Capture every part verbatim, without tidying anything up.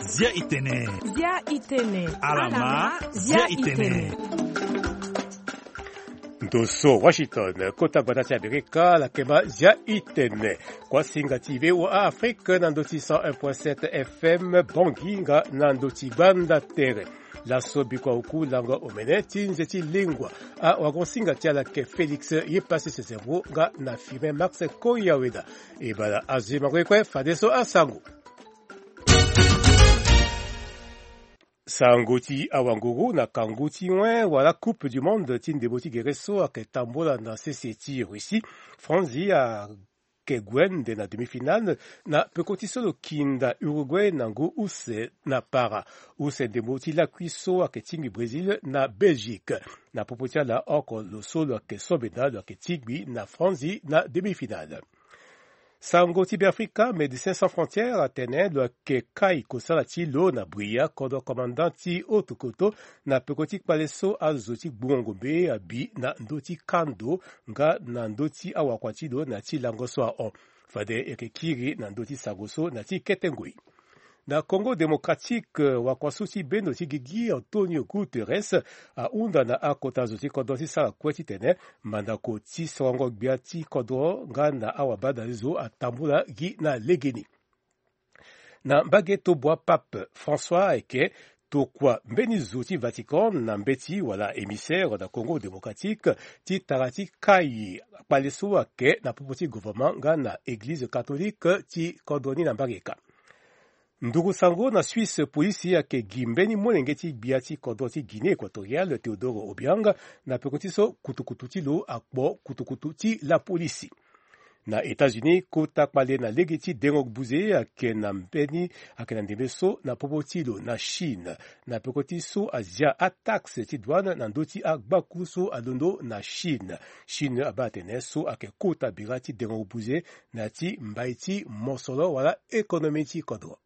Zia itene. Zia itene. Alama, zia itene. Ndo so Washington, kota gbata ti Amerika, lakema zia itene. Kuasinga ti V O A Afrique na ndo ti cent un point sept F M, Bangui nga na ndo ti gbanda tere. Laso bikua oku lango omene ti nze ti lengua. Awagosinga ti ala ke Félix ye pasi sese vo nga na Firmin Max Koyaweda. E bala azo ye mango ye kue fadeso asango. Sango ti awanguru na kangu ti wen wala Coupe du Monde ti ndembo ti gere so ayeke tambula na sese ti Russie. Franzi ayeke gue nde na demi-finale na peko ti so lo kinda Uruguay na ngu use na para. Use ndembo ti lakui so ayeke tingbi Brésil na Belgique. Na popo ti ala oko lo so lo yeke so benda lo yeke tingbi na Franzi na demi-finale. Sango ti Beafrika, Médecins Sans Frontières atene lo yeke kai kosala ti lo na Bouïa, kodro commandant ti haute koto, na peko ti kpale so azo ti gbungo ngombe abi na ndö ti kando nga na ndö ti awakua ti lo na ti lango so ahon. Fade e yeke kiri na ndö ti sango so na ti kete ngoi. Na Congo Démocratique, wakua so ti bendo ti gigi Antonio Guterres ahunda na akota zo ti kodro ti sara kue titene mandako ti sorongo gbia ti kodro nga na awabadalizo atambula gi na legeni. Na mbage tobua, Pape François ayeke tokua mbeni zo ti Vatican na mbeti wala émissaire na Congo Démocratique ti tara ti kai kpale so ayeke na popo ti gouvernement nga na Eglize catholique ti kodro ni na mbage ka. Nduru sango na Suisse, polisi ayeke gi mbeni molenge ti gbia ti kodro ti Guinée Équatoriale, Théodore Obiang, na peko ti so kutukutu ti lo akpo kutukutu ti lapolisi. Na États-Unis, kota kpale na lege ti dengo buze ayeke na mbeni, ayeke na ndembe so na popo ti lo na Chine. Na peko ti so azia ataxe ti douane na ndö ti agbaku so alondo na Chine. Chine abaa atene so ayeke kota bira ti dengo buze na ya ti mbai ti mosoro wala économie ti kodro.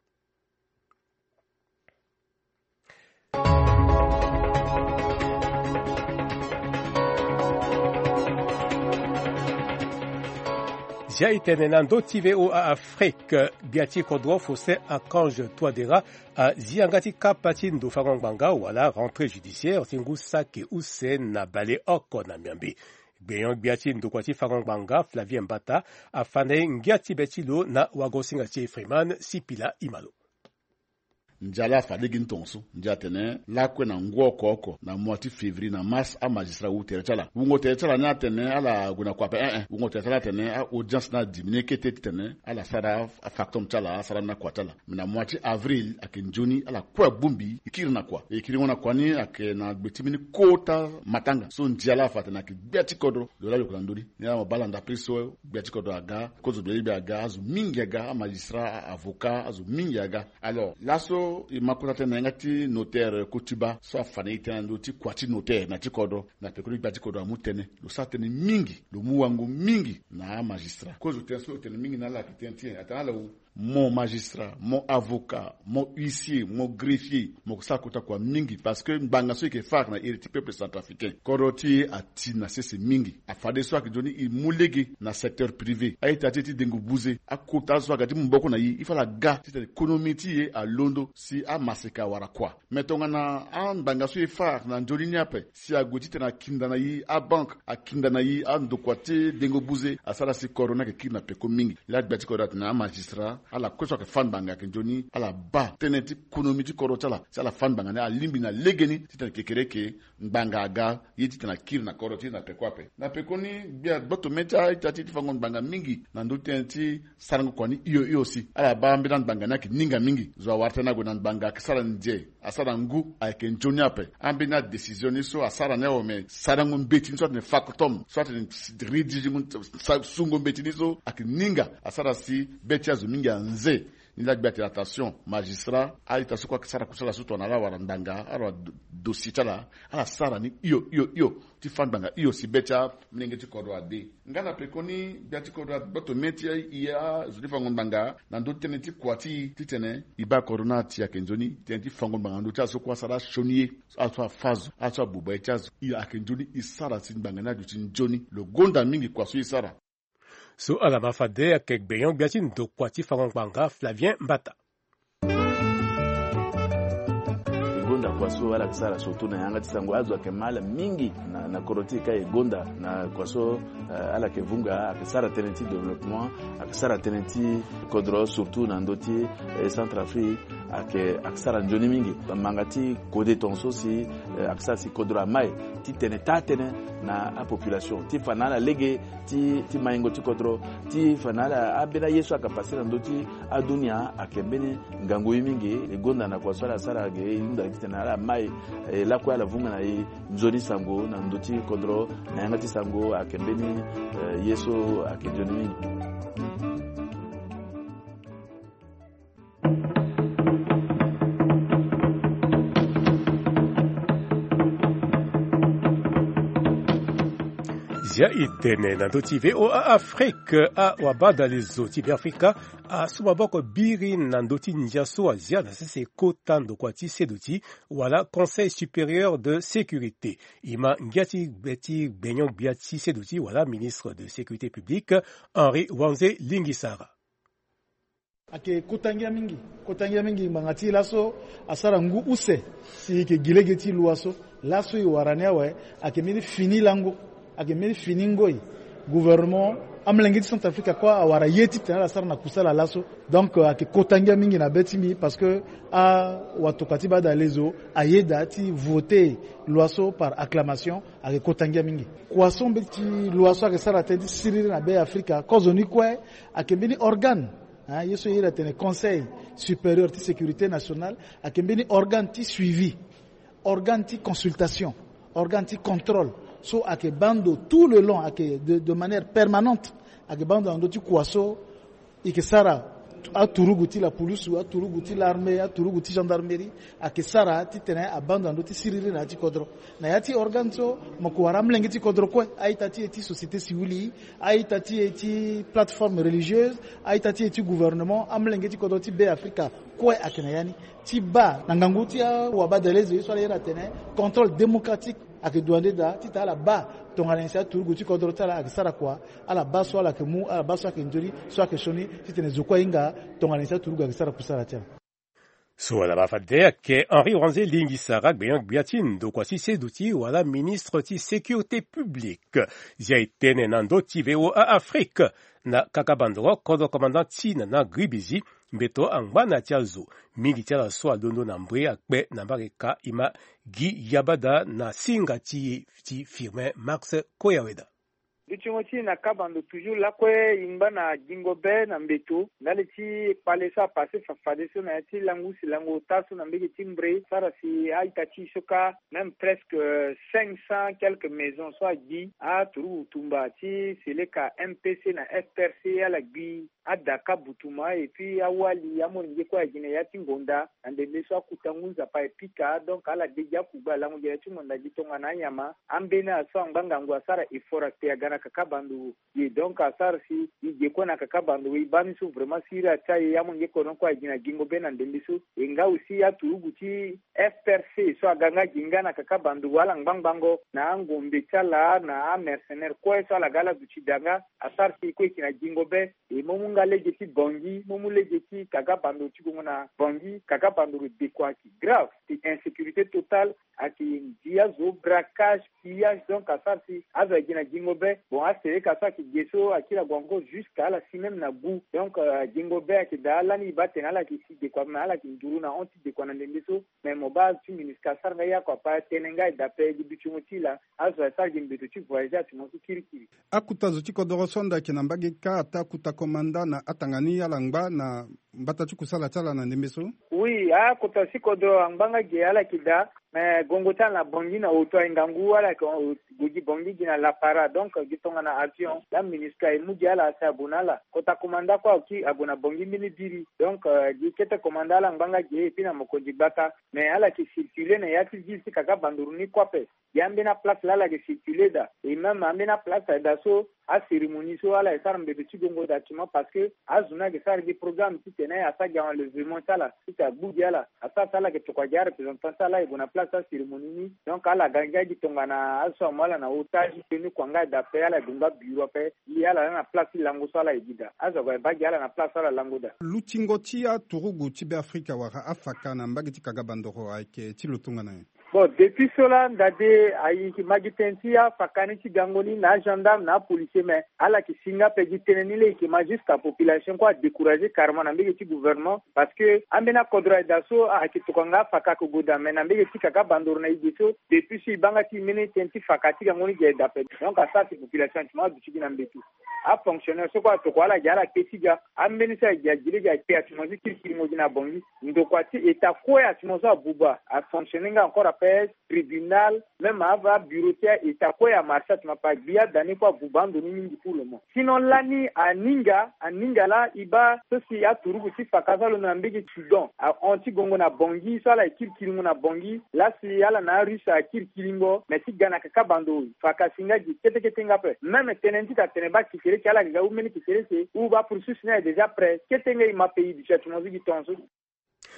Zia itene na ndö ti V O A Afrique, gbia ti kodro Faustin Archange Touadéra azi yanga ti kapa ti ndo fango ngbanga wala rentrée judiciaire ti ngu saki use na baleoko na miambe. Gbenyo-gbia ti ndokua ti fango ngbanga Flavien Mbata afa na e ngia ti be ti lo na wagosinga ti e Freeman Sipila Imalo. Ndia laa afa lege ni tongaso. Ndia atene lakue na ngu oko oko na mois ti février na mars, amagistrat awu tere ti ala. Wungo tere ti ala ni atene ala gue na kua ape, eh eh. Wungo tere ti ala atene a-audience ni adiminué kete titene ala sara afactum ti ala, asara ni na kua ti ala. Mais na mois ti avril ayeke nzoni ala kue abongbi e kiri na kua. E kiri ngo na kua ni ayeke na gbe ti mbeni kota matanga so ndia laa afa atene ayeke gbia ti kodro. Lo laa lo yeke na ndö ni. Ni ala mo baa ala ndapre so gbia ti kodro aga, kozo gbia ti gbia aga, azo mingi aga, amagistrat, avocat, azo mingi aga. Alors laso e ma kota tënë na yanga ti notaire Kotiba so afa na e tënë na ndö ti kua ti notaire na ti kodro. Na peko ti gbia ti kodro amu tënë, lo sara tënë mingi, lo mu wango mingi na amagistrat. Kozo tënë so lo tene mingi na ala ayeke tënë ti nyen? Atene ala wu mo magistrat, mo avocat, mo huissier, mo greffier, mo yeke sara kota kua mingi parce que ngbanga so e yeke fâ ayeke na iri ti peuple centrafricain. Kodro ti e ati na sese mingi. Afadeso ayeke nzoni e mu lege na secteur privé, a-ita ti e ti dengo buze, akota azo so aga ti mu maboko na e, il faut ala ga titene économie ti e alondo si amaseka awara kua. Mais tongana angbanga so e fâ ayeke na nzoni ni ape, si ague titene akinda na e, abanque akinda na e, andokua ti dengo buze asara si kodro ni ayeke kiri na peko mingi. Laa gbia ti kodro atene amagistrat ala kue so ayeke fâ ngbanga ayeke nzoni ala baa tënë ti konomi ti kodro ti ala si ala fâ ngbanga ni alingbi na legeni titene kekereke ngbanga aga ye titene akiri na kodro ti e na peko ape. Na pekoni gbia gboto mê ti a-ita ti e ti fango ngbanga mingi na ndö ti tënë ti sarango kua ni hio hio si ala baa ambeni angbanga ni ayeke ninga mingi. Zo awara tënë ague na ngbanga ayeke sara nze, asara ngu, ayeke nzoni ape. Ambeni adécision ni so asara ni awe, me sarango mbeti ni so atene factum so atene rédiger ngu, sa-, sungo mbeti ni so ayeke ninga, asara si be ti azo mingi anze. Ni laa gbe atene attention, magistrat, a-ita so kue asara kusala so tongana ala wara ngbanga, ala wara do- dossier ti ala, ala sara ni hio hio hio, ti fâ ngbanga hio si be ti amolenge ti kodro ade. Nga na pekoni gbia ti kodro agboto mê ti e azo ti fango ngbanga na ndö ti tënë ti kua ti e titene e baa kodro ni ati ayeke nzoni tënë ti fango ngbanga na ndö ti ala so kue asara asioni ye, ala so afâ zo, ala so abuba ye ti azo, e ayeke nzoni e sara si ngbanga ni aduti nzoni. Lo gonda mingi kua so e sara. So ala ma fade ayeke gbenyo-gbia ti ndokua ti fango ngbanga Flavien Mbata. E gonda kua so ala yeke sara surtout na yanga ti sango, azo ayeke ma ala mingi na, na kodro ti e ka e gonda na kua so, eh, ala yeke vunga, ayeke sara tënë ti développement, ayeke sara tënë ti kodro surtout na ndö ti, eh, Centrafrique, ayeke, ayeke sara nzoni mingi. Manga ti kode tongaso si, eh, ayeke sara si kodro amai titene taa tënë na apopulation ti fa na ala lege ti, ti maingo ti kodro, ti fa na ala ambeni aye so ayeke pase na ndö ti adunia ayeke mbeni ngangu ye mingi. E gonda na kua so ala sara ge e hunda titene ala mai, eh, lakue ala vunga na e nzoni sango na ndö ti kodro, na yanga ti sango ayeke mbeni, eh, ye so ayeke nzoni mingi. Zia e tene na ndö ti V O A Afrique, awabadalezo ti Beafrika asu maboko biri na ndö ti ndia so azia na sese kota ndokua ti seduti wala Conseil supérieur de sécurité. E ma ngia ti gbe ti gbenyo-gbia ti seduti wala ministre de sécurité publique, Henri Wanze Lingisara. Ayeke kota ngia mingi, kota ngia mingi ngbanga ti laso asara ngu use si e yeke gi lege ti loi so. Laso e wara ni awe, ayeke mbeni fini lango, ayeke mbeni fini ngoi. Gouvernement, amolenge ti Centrafrique kue awara ye titene ala sara na kusala laso. Donc, euh, ayeke kota ngia mingi na be ti mbi parce que awatokua ti badalezo ayeda ti voter loi so par acclamation, ayeke kota ngia mingi. Kua so mbeti loi so ayeke sara tënë ti siriri na Beafrika, kozoni kue ayeke mbeni organe, hein, ye so e iri atene Conseil supérieur ti sécurité nationale, ayeke mbeni organe ti suivi, organe ti consultation, organe ti contrôle. So ayeke baa ndo tout le long, ayeke de, de manière permanente, ayeke baa ndo na ndö ti kua so e yeke sara aturugu ti lapulusu, aturugu ti l'armée, aturugu ti gendarmerie, ayeke sara titene abaa ndo na ndö ti siriri na ya ti kodro. Na ya ti organe so, mo yeke wara amolenge ti kodro kue, a-ita ti e ti société civile, a-ita ti e ti plateforme religieuse, a-ita ti e ti gouvernement, amolenge ti kodro ti Beafrika kue ayeke na ya ni. Ti baa na ngangu ti awabadalezo ye so ala iri atene contrôle démocratique ayeke dua nde daa, titene ala baa tongana nyen si aturugu ti kodro ti ala ayeke sara kua, ala baa so ala yeke mu, ala baa so ayeke nzoni, so ayeke sioni, titene zo kue ahinga tongana nyen si aturugu ayeke sara kusala ti ala. So ala ma fade ayeke Henri Wanze Lingisara, gbenyo-gbia ti ndokua ti seduti wala ministre ti sécurité publique. Zia e tene na ndö ti V O A Afrique, na kakabando kodro commandant ti Nana Gribizi, mbeto angba na ya ti azo. Mingi ti ala so alondo na mbri akpe na mbage ka. E ma gi yabada na singa ti e ti Firmin Max Koyaweda. Dutingo ti e na kabando toujours lakue e ngba na gingo be na mbeto ndali ti kpale so apase fa- fadeso na ya ti lango use lango ota so na mbage ti Mbre, sara si a-ita ti e so kâ, même presque cinq cents quelques maisons so agbi, aturugu tumba ti Seleka, M P C na F P R C ala gbi. Ada kâ butuma, et puis awali amolenge kue ayeke gi na ya ti ngonda, na ndembe so akuta ngu nzapa e pika, donc ala de gi akugbe alango gi na ya ti ngonda gi tongana anyama. Ambeni azo so angba ngangu asara effort akpe aga na kakabando. Ye donc asara si e ge kue na kakabando, e baa ni so vraiment siriri atia e, amolenge kodro ni kue ayeke gi na gingo be na ndembe so. E nga aussi aturugu ti F P R C so aga nga gi nga na kakabando, ala ngbangbango na angombe ti ala na amercenaire kue so ala ga ala duti daa nga, asara si e kue e yeke na gingo be. E mo mu nga lege ti Bangui, mo mu lege ti kakabando ti gongo na Bangui, kakabando lo dekua ayeke grave, ti insécurité totale, ayeke ndia zo, braquage, pillage, donc asara si azo ayeke gi na gingo be. Bon, aseleka so ayeke ge so akiri ague encore jusqu'à ala si même na gu. Donc, euh, gingo be ayeke daa lani e baa atene ala yeke si dekua, me ala yeke nduru na hon ti dekua na ndembe so. Me mo baa azo ti MINUSCA asara nga ye oko apa tënë nga e daa ape gi dutingo ti e laa. Azo asara gi mbeto ti voyager atingo so kirikiri. Akuta zo ti kodoro so anda ayeke na mbage kâ ataa akuta komanda na atanga ni ala ngba na mbata ti kusala ti ala na ndembe so. Oui, akota si kodro angbanga ge ala yeke daa. Mais gongo ti ala na Bangui na oto aye ngangu, ala yeke gue gi Bangui gi na Lapara. Donc gi tongana avion la MINUSCA e mu gi ala asi ague na ala. Kota komanda kue ague na Bangui mbeni biri. Donc gi kete komanda ala ngbanga ge epui na mokonzi gbata. Mais ala yeke circuler na ya ti ville ti Kaka Bandoro ni kue ape. Gi ambeni aplace laa ala yeke circuler daa. Et même ambeni aplace aye daa so, acérémonie so ala yeke sara mbebe ti gongo daa tuma, parce que azo ni ayeke sara gi programme titene asara gi enlèvement ti ala titene agbu gi ala. Asara si ala yeke tokua gi areprésentant ti ala aye gue na place ti acérémonie ni. Donc ala ga ngia gi tongana azo so amu ala na otage ni kua nga aye daa ape, ala yeke gue nga bureau ape. Li ala laa na place ti lango so ala yeke gi daa. Azo ague aye baa gi ala na place so ala lango daa. Lutingo ti aturugu ti Beafrika wala afaka na mbage ti Kaka Bandoro ayeke ti lo tongana nyen? Bon, depuis so laa ndade ayeke ma gi tënë ti afaka ni ti gango ni na agendarme na apolicier, mais ala yeke si nga ape. Gi tënë ni laa e yeke ma juste apopulation kue adécourager carrément na mbage ti gouvernement, parce que ambeni akodro aye daa so ayeke tokua nga afaka ayeke gue daa, mais na mbage ti Kaka Bandoro na e ge so, depuis so e baa nga ti e mbeni tënë ti faka ti gango ni gi aye daa ape. Donc asara si population ti mo aduti gi na mbeto. Afonctionnaire so kue atokua ala gi ala kpe ti ga. Ambeni so aye gi agi lege aye kpe atumosi kirikiringo gi na Bangui. Ndokua ti état kue atumosi abuba afonctionner nga encore ape. Tribunal, même ava abureau ti état kue amarché atuma, pa gbi ada ni kue abuba ando ni mingi pour le moment. Sinon lani aninga, aninga laa e baa so si aturugu ti faka so alondo na mbage ti Soudan ahon ti gongo na Bangui so ala ye kirikiringo na Bangui. Laa si ala na arusse akirikiringo, mais ti ga na Kaka Bandoro faka si nga gi ketekete nga ape. Même tënë ni ti tene baa kekereke ala ga ga ou mbeni kekereke ou baa processus ni aye déjà prêt. Kete nga e ma pays du châtiment so gi tongaso.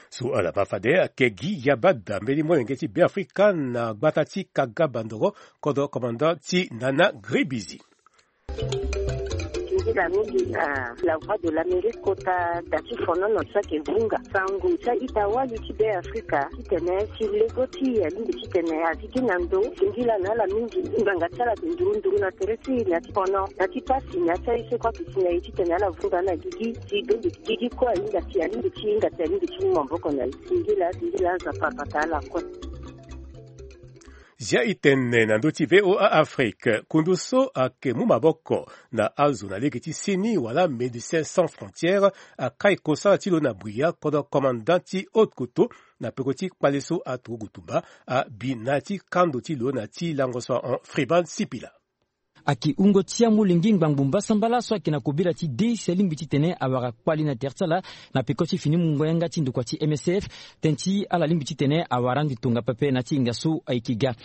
So ala baa fade ayeke gi yabada mbeni molenge ti Beafrika na gbata ti Kaka Bandoro, kodro commandant ti Nana Gribizi. Nzila mingi na La Voix de l'Amérique kota da ti fonono so ayeke vunga sango ti a-ita wali ti Beafrika titene si lego ti e alingbi titene azi gi na ndo. Singila na ala mingi ngbanga ti ala ayeke nduru nduru na tere ti e na ti fono na ti pasi na ya ti aye so kue ayeke si na e titene ala vunga na gigi. Si donde gigi kue ahinga si alingbi ti hinga si alingbi ti mu maboko na e. Singila singila aza parpata ala kue. Zia e tene na ndö ti V O A Afrique, kundu so ayeke mu maboko na azo na lege ti seni wala Médecins Sans Frontières akai kosala ti lo na Bria, kodro commandant ti Haute-Kotto, na peko ti kpale so aturugu tumba abi na ya ti kando ti lo na ti lango so ahon. Freeman Sipila. Ayeke wungo ti amolenge ngbangbo mbasambala so ayeke na kobela ti de si alingbi titene awara kpali na tere ti ala na peko ti fini mungo yanga ti ndokua ti M S F. Tënë ti ala lingbi titene awara ande tongaso pepe na ya ti hinga so ayeke ga.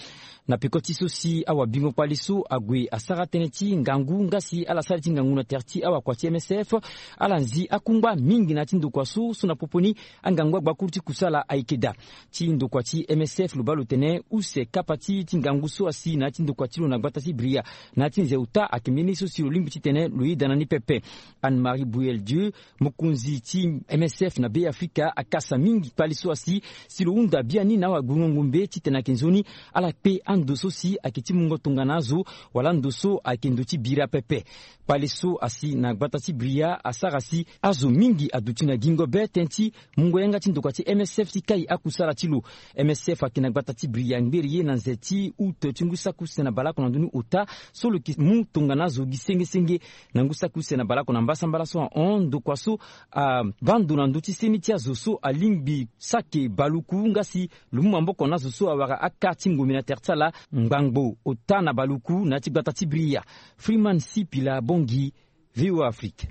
Na peko ti so si awabingo kpali so ague asara tënë ti ngangu nga si ala sara ti ngangu na tere ti awakua ti M S F, ala nzi akungba mingi na ya ti ndokua so, so na popo ni angangu agbakuru ti kusala ayeke daa. Ti ndokua ti M S F lo baa lo tene use kapa ti ti ngangu so asi na ya ti ndokua ti lo na gbata ti Bria na ya ti nze ota ayeke mbeni so si lo lingbi titene lo yeda na ni pepe. Anne Marie Bouyel Dieu, mokonzi ti M S F na Beafrika, akasa mingi kpali so asi si lo hunda biani na awagbungo ngombe titene ayeke nzoni ala kpe ando so si ayeke ti mungo tongana azo wala ando so ayeke ndo ti bira pepe. Kpale so asi na gbata ti Bria asara si azo mingi aduti na gingo be tënë ti mungo yanga ti ndokua ti M S F ti kai akusala ti lo. M S F ayeke na gbata ti Bria ngberi ye na nze ti août ti ngu saki use na baleoko na ndoni ota so lo yeke mu tongana azo gi senge senge na ngu saki use na baleoko na mbasambala so ahon. Ndokua so abaa ndo na ndö ti seni ti azo so alingbi saki baluku nga si lo mu maboko na azo so awara aka ti ngombe na tere ti ala ngbangbo ota na baluku na ya ti gbata ti Bria. Freeman Sipila Bongi, V O A Afrique.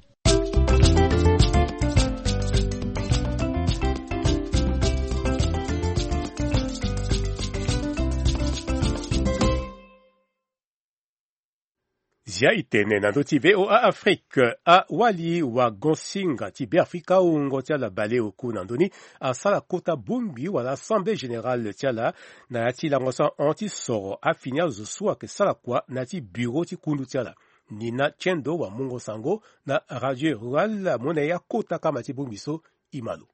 Zia e tene na ndö ti V O A Afrique, awali wagon-singa ti Beafrika, wungo ti ala baleoku na ndö ni, asara kota bongbi wala assemblée générale ti ala na ya ti lango so ahon ti soro afini azo so ayeke sara kua na ya ti bureau ti kundu ti ala. Nina Tiendo wamungo sango na Radio Rurale amu na e akota kama ti bongbi so. E ma lo.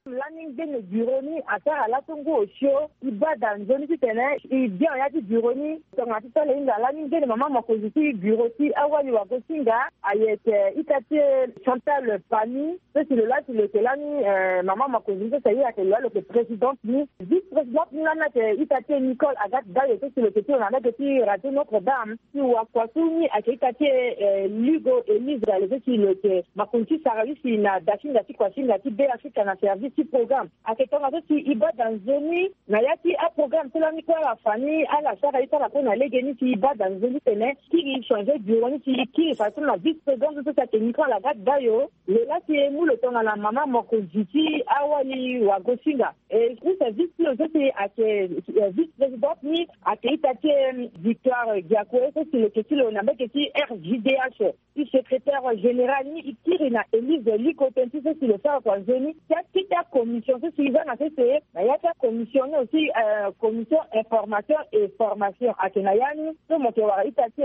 Lani Ngbene bureau ni asara laso ngu osio. E baa daa nzoni titene e bian ya ti bureau ni. Tongana ti sala hinga lani ngbene mama mokonzi ti bureau ti awali wagosinga ayeke ita ti e Chantal Pani. So si lo laa si lo yeke lani mama mokonzi ni so si aye ayeke lo laa lo yeke présidente ni. Vice présidente ni lani ayeke ita ti e Nicole Agathe Dayo so si lo yeke ti lo na lege ti radio Notre Dame. Ti wakua so ni ayeke ita ti e Lugo Elise Dayo so si lo yeke makonzi ti sara yu si na dasinga ti kuasinga ti Be Afrika na service ti programme. Ayeke tongaso si e baa daa nzoni na ya ti aprograme so lani kue ala fa ni ala sara ye ti ala kue na legeni si e baa daa nzoni titene kiri e changer bureau ni si e kiri fa so na vice présidente so si ayeke Nicole Agathe Dayo. Lo laa si e mu lo tongana mama mokonzi ti awali wagosinga. E service ti lo so si ayeke vice présidente ni ayeke ita ti e Victoire Diakoe so si lo yeke ti lo na mbage ti R J D H. Ti secrétaire général ni e kiri na Elise Liko tënë ti so si lo sara kua nzoni ti akete acommission so si e za na sese na ya ti acommission ni aussi commission information et formation ayeke na ya ni so mo yeke wara ita ti